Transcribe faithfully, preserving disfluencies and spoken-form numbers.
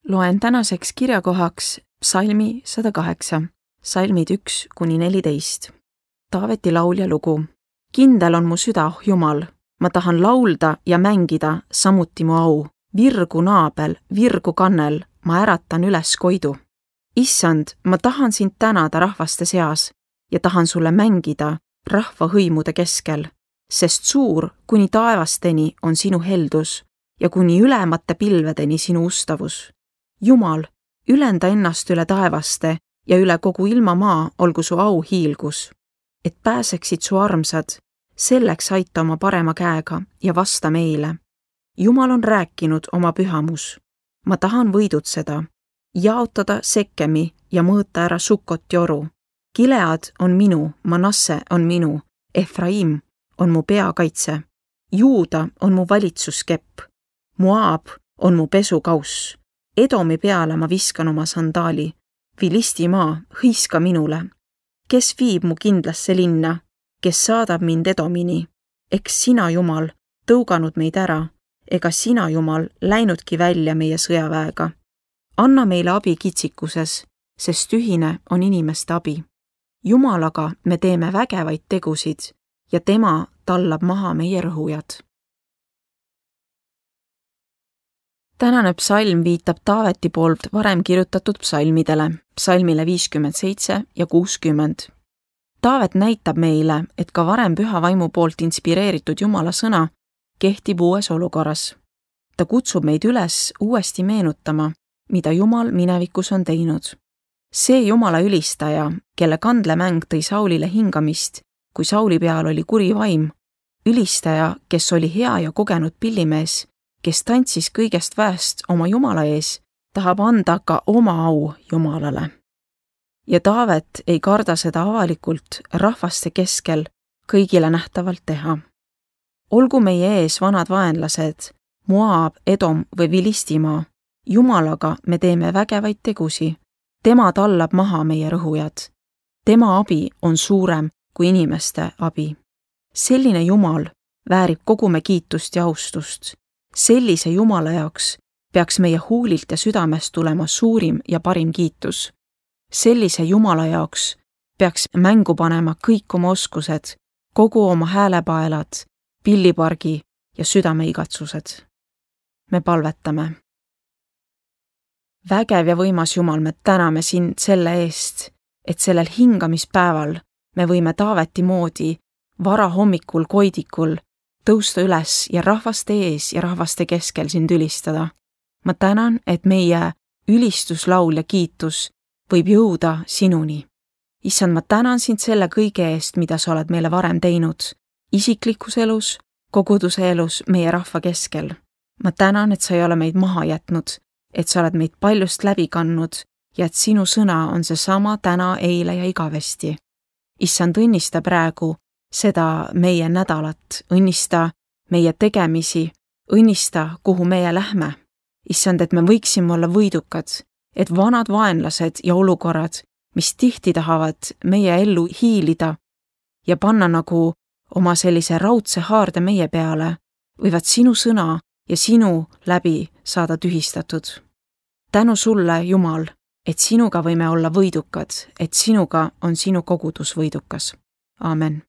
Loen tänaseks kirjakohaks psalmi sada kaheksa, psalmid üks kuni neliteist. Taaveti laulja lugu. Kindel on mu süda, oh Jumal, ma tahan laulda ja mängida, samuti mu au. Virgu naabel, virgu kannel, ma äratan üles koidu. Issand, ma tahan sind tänada rahvaste seas ja tahan sulle mängida rahva hõimude keskel, sest suur kuni taevasteni on sinu heldus ja kuni ülemate pilvedeni sinu ustavus. Jumal, ülenda ennast üle taevaste ja üle kogu ilmamaa olgu su au hiilgus. Et pääseksid su armsad, selleks aita oma parema käega ja vasta meile. Jumal on rääkinud oma pühamus. Ma tahan võidutseda, jaotada Sekemi ja mõõta ära Sukot joru. Gilead on minu, Manasse on minu, Efraim on mu peakaitse. Juuda on mu valitsuskepp. Moab on mu pesukauss. Edomi peale ma viskan oma sandaali. Filistimaa, hõiska minule. Kes viib mu kindlasse linna, kes saadab mind Edomini? Eks sina, Jumal, tõuganud meid ära, ega sina, Jumal, läinudki välja meie sõjaväega. Anna meile abi kitsikuses, sest ühine on inimeste abi. Jumalaga me teeme vägevaid tegusid ja tema tallab maha meie rõhujad. Tänane psalm viitab Taaveti poolt varem kirjutatud psalmidele, psalmile viiskümmend seitse ja kuuskümmend. Taavet näitab meile, et ka varem püha vaimu poolt inspireeritud Jumala sõna kehtib uues olukorras. Ta kutsub meid üles uuesti meenutama, mida Jumal minevikus on teinud. See Jumala ülistaja, kelle kandlemäng tõi Saulile hingamist, kui Sauli peal oli kuri vaim, ülistaja, kes oli hea ja kogenud pillimees, kes tantsis kõigest väest oma Jumala ees, tahab anda ka oma au Jumalale. Ja Taavet ei karda seda avalikult rahvaste keskel kõigile nähtavalt teha. Olgu meie ees vanad vaenlased, Moab, Edom või Filistimaa, Jumalaga me teeme vägevaid tegusi. Tema tallab maha meie rõhujad. Tema abi on suurem kui inimeste abi. Selline Jumal väärib kogu me kiitust ja austust. Sellise Jumala jaoks peaks meie huulilt ja südamest tulema suurim ja parim kiitus. Sellise Jumala jaoks peaks mängu panema kõik oma oskused, kogu oma häälepaelad, pillipargi ja südameigatsused. Me palvetame. Vägev ja võimas Jumal, me täname sind selle eest, et sellel hingamispäeval me võime Taaveti moodi varahommikul koidikul tõusta üles ja rahvaste ees ja rahvaste keskel sind ülistada. Ma tänan, et meie ülistuslaul ja kiitus võib jõuda sinuni. Issand, ma tänan sind selle kõige eest, mida sa oled meile varem teinud, isiklikus elus, koguduse elus, meie rahva keskel. Ma tänan, et sa ei ole meid maha jätnud, et sa oled meid paljust läbi kandnud ja et sinu sõna on seesama täna, eile ja igavesti. Issand, õnnista praegu seda meie nädalat, õnnista meie tegemisi, õnnista, kuhu meie lähme. Issand, et me võiksime olla võidukad, et vanad vaenlased ja olukorrad, mis tihti tahavad meie ellu hiilida ja panna nagu oma sellise raudse haarde meie peale, võivad sinu sõna ja sinu läbi saada tühistatud. Tänu sulle, Jumal, et sinuga võime olla võidukad, et sinuga on sinu kogudus võidukas. Aamen.